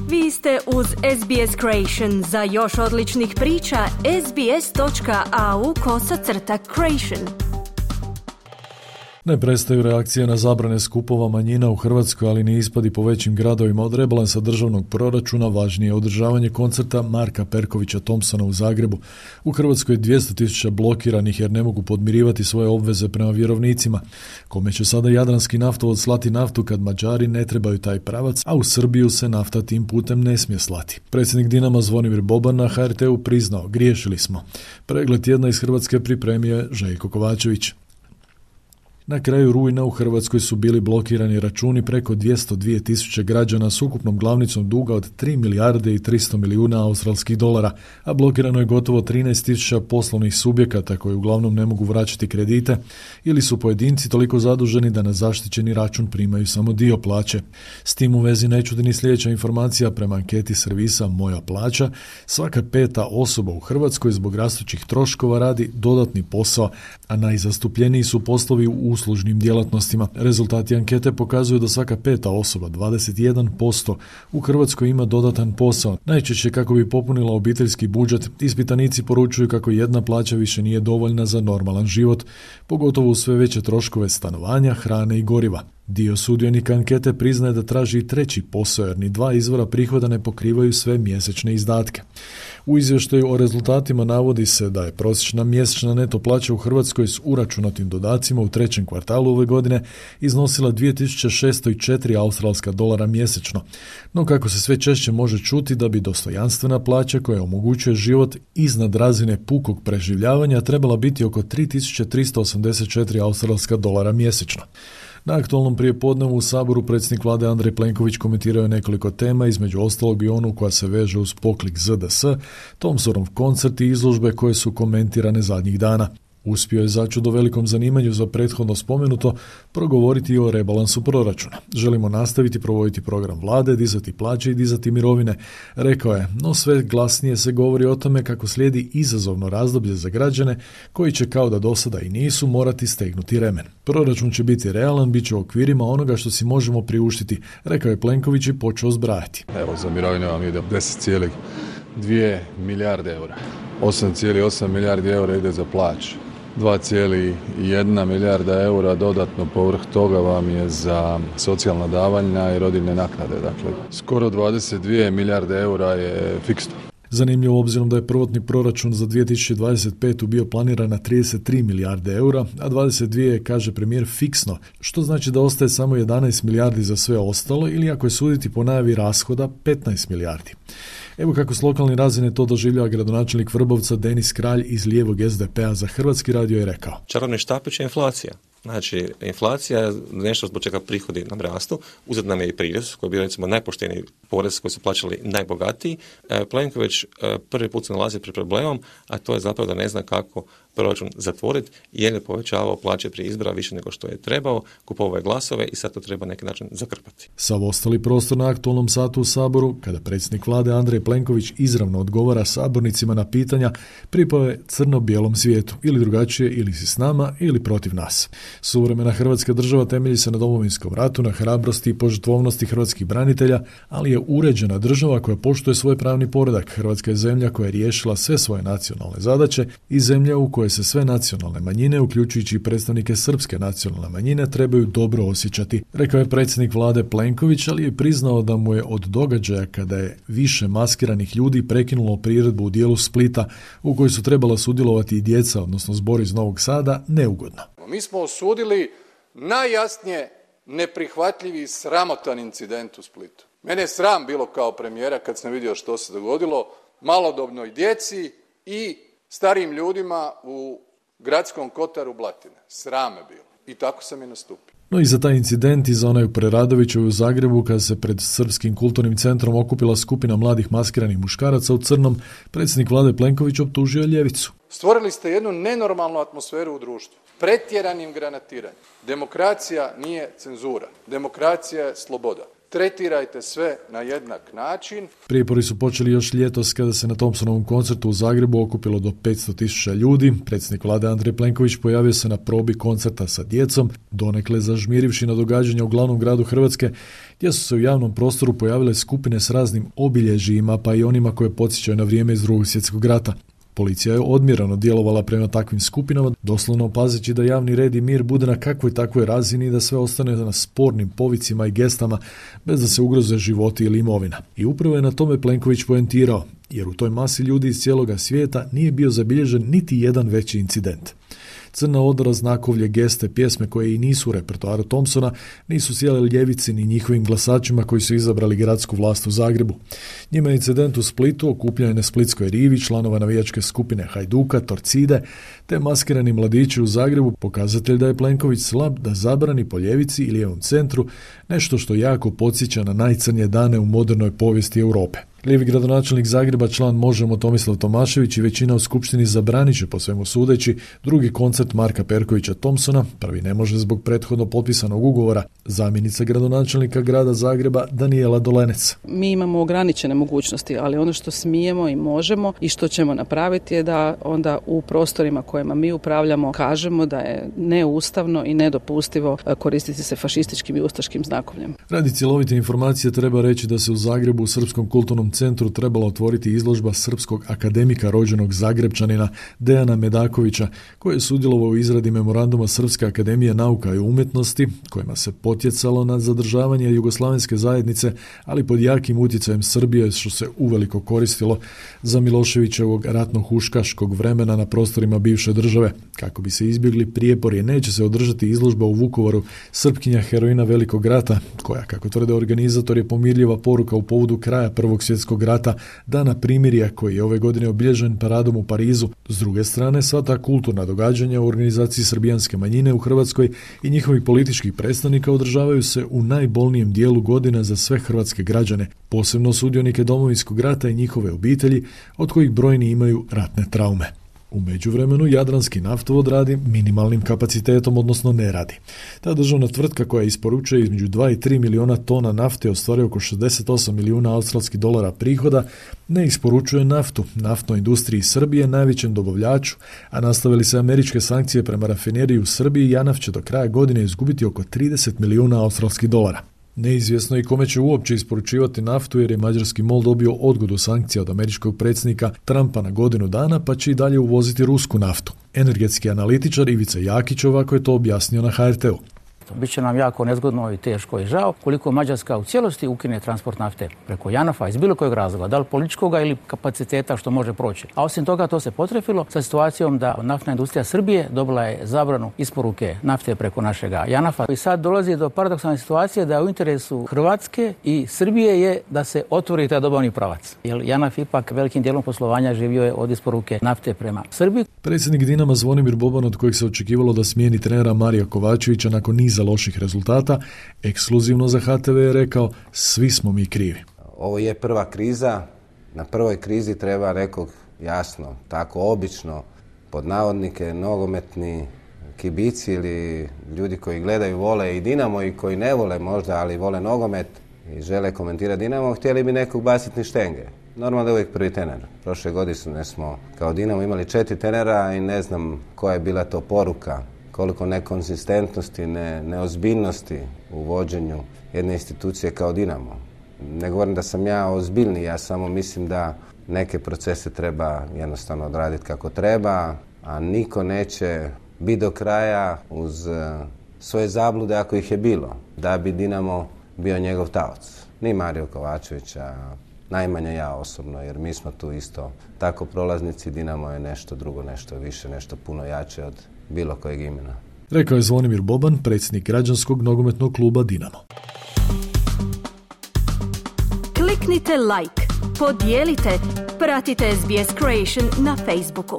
Vi ste uz SBS Creation. Za još odličnih priča, sbs.au/creation. Ne prestaju reakcije na zabrane skupova manjina u Hrvatskoj, ali ni ispadi po većim gradovima. Od rebalansa državnog proračuna važnije je održavanje koncerta Marka Perkovića Thompsona u Zagrebu. U Hrvatskoj je 200.000 blokiranih jer ne mogu podmirivati svoje obveze prema vjerovnicima. Kome će sada Jadranski naftovod slati naftu kad Mađari ne trebaju taj pravac, a u Srbiju se nafta tim putem ne smije slati? Predsjednik Dinama Zvonimir Boban na HRT-u priznao: griješili smo. Pregled tjedna iz Hrvatske pripremio je Željko Kovačević. Na kraju rujna u Hrvatskoj su bili blokirani računi preko 202.000 građana s ukupnom glavnicom duga od 3 milijarde i 300 milijuna australskih dolara, a blokirano je gotovo 13.000 poslovnih subjekata koji uglavnom ne mogu vraćati kredite ili su pojedinci toliko zaduženi da na zaštićeni račun primaju samo dio plaće. S tim u vezi ne čudi ni sljedeća informacija. Prema anketi servisa Moja plaća, svaka 5. osoba u Hrvatskoj zbog rastućih troškova radi dodatni posao, a najzastupljeniji su poslovi u uslužnim djelatnostima. Rezultati ankete pokazuju da svaka 5. osoba, 21%, u Hrvatskoj ima dodatan posao. Najčešće kako bi popunila obiteljski budžet. Ispitanici poručuju kako jedna plaća više nije dovoljna za normalan život, pogotovo u sve veće troškove stanovanja, hrane i goriva. Dio sudionika ankete priznaje da traži i treći posao jer ni 2 izvora prihoda ne pokrivaju sve mjesečne izdatke. U izvještaju o rezultatima navodi se da je prosječna mjesečna neto plaća u Hrvatskoj s uračunatim dodacima u 3. kvartalu ove godine iznosila 2604 australska dolara mjesečno. No kako se sve češće može čuti, da bi dostojanstvena plaća koja omogućuje život iznad razine pukog preživljavanja trebala biti oko 3384 australska dolara mjesečno. Na aktualnom prijepodnevu u Saboru predsjednik vlade Andrej Plenković komentirao je nekoliko tema, između ostalog i onu koja se veže uz poklik ZDS, Thompsonov koncert i izložbe koje su komentirane zadnjih dana. Uspio je začudo velikom zanimanju za prethodno spomenuto progovoriti o rebalansu proračuna. Želimo nastaviti provoditi program vlade, dizati plaće i dizati mirovine, rekao je, no sve glasnije se govori o tome kako slijedi izazovno razdoblje za građane koji će kao da do sada i nisu morati stegnuti remen. Proračun će biti realan, bit će u okvirima onoga što si možemo priuštiti, rekao je Plenković i počeo zbrajati. Evo za mirovine vam ide 10,2 milijarde eura. 8,8 milijardi eura ide za plaće. 2,1 milijarda eura dodatno povrh toga vam je za socijalna davanja i rodiljne naknade. Dakle, skoro 22 milijarde eura je fiksno. Zanimljivo obzirom da je prvotni proračun za 2025. bio planiran na 33 milijarde eura, a 22 je, kaže premijer, fiksno, što znači da ostaje samo 11 milijardi za sve ostalo ili ako je suditi po najavi rashoda 15 milijardi. Evo kako s lokalne razine to doživljava gradonačelnik Vrbovca Denis Kralj iz lijevog SDP-a za Hrvatski radio je rekao. Čarobni štapić je inflacija. Znači, inflacija je nešto zbog čega prihodi nam rastu, uzet nam je i prirez, koji je bio recimo najpošteniji porez koji su plaćali najbogatiji. Plenković prvi put se nalazi pred problemom, a to je zapravo da ne zna kako proračun zatvoriti, jer je povećavao plaće prije izbora više nego što je trebao, kupovao je glasove i sad to treba na neki način zakrpati. Sav ostali prostor na aktualnom satu u Saboru, kada predsjednik vlade Andrej Plenković izravno odgovara sabornicima na pitanja, pripao je crno-bijelom svijetu, ili drugačije, ili si s nama, ili protiv nas. Suvremena Hrvatska država temelji se na Domovinskom ratu, na hrabrosti i požrtvovnosti hrvatskih branitelja, ali je uređena država koja poštuje svoj pravni poredak. Hrvatska je zemlja koja je riješila sve svoje nacionalne zadaće i zemlja u kojoj se sve nacionalne manjine, uključujući i predstavnike srpske nacionalne manjine, trebaju dobro osjećati, rekao je predsjednik vlade Plenković, ali je priznao da mu je od događaja kada je više maskiranih ljudi prekinulo priredbu u dijelu Splita u kojoj su trebala sudjelovati i djeca, odnosno zbor iz Novog Sada, neugodno. Mi smo osudili najjasnije neprihvatljivi i sramotan incident u Splitu. Mene je sram bilo kao premijera kad sam vidio što se dogodilo malodobnoj djeci i starijim ljudima u gradskom kotaru Blatine. Sram je bilo. I tako sam i nastupio. No i za taj incident i za onaj u Preradoviću u Zagrebu kada se pred Srpskim kulturnim centrom okupila skupina mladih maskiranih muškaraca u crnom, predsjednik vlade Plenković optužio ljevicu. Stvorili ste jednu nenormalnu atmosferu u društvu. Pretjeranim granatiranjem. Demokracija nije cenzura. Demokracija je sloboda. tretirajte sve na jednak način. Prijepori su počeli još ljetos kada se na Thompsonovom koncertu u Zagrebu okupilo do 500.000 ljudi. Predsjednik vlade Andrej Plenković pojavio se na probi koncerta sa djecom, donekle zažmirivši na događanja u glavnom gradu Hrvatske, gdje su se u javnom prostoru pojavile skupine s raznim obilježjima, pa i onima koje podsjećaju na vrijeme iz Drugog svjetskog rata. Policija je odmjereno djelovala prema takvim skupinama, doslovno pazeći da javni red i mir bude na kakvoj takvoj razini i da sve ostane na spornim povicima i gestama bez da se ugroze životi ili imovina. I upravo je na tome Plenković poentirao, jer u toj masi ljudi iz cijeloga svijeta nije bio zabilježen niti jedan veći incident. Crna odra, znakovlje, geste, pjesme koje i nisu u repertoaru Thompsona nisu sjele ljevici ni njihovim glasačima koji su izabrali gradsku vlast u Zagrebu. Njima je incident u Splitu, okupljanje na Splitskoj rivi, članova navijačke skupine Hajduka, Torcide, te maskirani mladići u Zagrebu pokazatelj da je Plenković slab da zabrani po ljevici i lijevom centru nešto što jako podsjeća na najcrnije dane u modernoj povijesti Europe. Lijevi gradonačelnik Zagreba, član Možemo Tomislav Tomašević i većina u skupštini zabranit će po svemu sudeći drugi koncert Marka Perkovića Thompsona, prvi ne može zbog prethodno potpisanog ugovora, zamjenica gradonačelnika grada Zagreba Danijela Dolenec. Mi imamo ograničene mogućnosti, ali ono što smijemo i možemo i što ćemo napraviti je da onda u prostorima kojima mi upravljamo kažemo da je neustavno i nedopustivo koristiti se fašističkim i ustaškim znakovljem. Radi cjelovite informacije treba reći da se u Zagrebu u Srpskom kulturnom centru trebala otvoriti izložba srpskog akademika rođenog Zagrebčanina Dejana Medakovića, koji je sudjelovao u izradi memoranduma Srpske akademije nauka i umjetnosti, kojima se potjecalo na zadržavanje jugoslavenske zajednice, ali pod jakim utjecajem Srbije, što se uveliko koristilo za Miloševićevog ratno-huškaškog vremena na prostorima bivše države. Kako bi se izbjegli prijepori, neće se održati izložba u Vukovaru Srpkinja heroina Velikog rata, koja, kako tvrde organizator, je pomirljiva poruka u povodu kraja Prvog svjetskog rata, dana primirja koji je ove godine obilježen paradom u Parizu. S druge strane, sva ta kulturna događanja u organizaciji srbijanske manjine u Hrvatskoj i njihovih političkih predstavnika održavaju se u najbolnijem dijelu godina za sve hrvatske građane, posebno sudionike Domovinskog rata i njihove obitelji, od kojih brojni imaju ratne traume. U međuvremenu Jadranski naftovod radi minimalnim kapacitetom, odnosno ne radi. Ta državna tvrtka koja isporučuje između 2 i 3 milijuna tona nafte ostvaruje oko 68 milijuna australskih dolara prihoda, ne isporučuje naftu naftnoj industriji Srbije, najvećem dobavljaču, a nastavili se američke sankcije prema rafineriji u Srbiji, JANAF će do kraja godine izgubiti oko 30 milijuna australskih dolara. Neizvjesno i kome će uopće isporučivati naftu jer je mađarski MOL dobio odgodu sankcija od američkog predsjednika Trumpa na godinu dana, pa će i dalje uvoziti rusku naftu. Energetski analitičar Ivica Jakić ovako je to objasnio na HRT-u. Biće nam jako nezgodno i teško i žao koliko Mađarska u cijelosti ukine transport nafte preko JANAF-a iz bilo kojeg razloga, da li političkoga ili kapaciteta što može proći. A osim toga to se potrefilo sa situacijom da naftna industrija Srbije dobila je zabranu isporuke nafte preko našega JANAF-a. I sad dolazi do paradoksalne situacije da u interesu Hrvatske i Srbije je da se otvori taj dobavni pravac. Jer JANAF ipak velikim dijelom poslovanja živio je od isporuke nafte prema Srbiji. Predsjednik Dinama Zvonimir Boban, od kojeg se očekivalo da smijeni trenera Marija Kovačevića nakon niza loših rezultata, ekskluzivno za HTV je rekao: svi smo mi krivi. Ovo je prva kriza. Na prvoj krizi treba, rekao jasno, tako obično, pod navodnike, nogometni kibici ili ljudi koji gledaju, vole i Dinamo i koji ne vole možda, ali vole nogomet i žele komentirati Dinamo, htjeli bi nekog baciti štenge. Normalno da je uvijek prvi trener. Prošle godine smo kao Dinamo imali 4 trenera i ne znam koja je bila to poruka, koliko nekonzistentnosti, neozbiljnosti u vođenju jedne institucije kao Dinamo. Ne govorim da sam ja ozbiljni, ja samo mislim da neke procese treba jednostavno odraditi kako treba, a niko neće biti do kraja uz svoje zablude ako ih je bilo, da bi Dinamo bio njegov taoc. Ni Mario Kovačevića, najmanje ja osobno, jer mi smo tu isto tako prolaznici. Dinamo je nešto drugo, nešto više, nešto puno jače od bilo kojeg imena. Rekao je Zvonimir Boban, predsjednik građanskog nogometnog kluba Dinamo. Kliknite like, podijelite, pratite SBS Creation na Facebooku.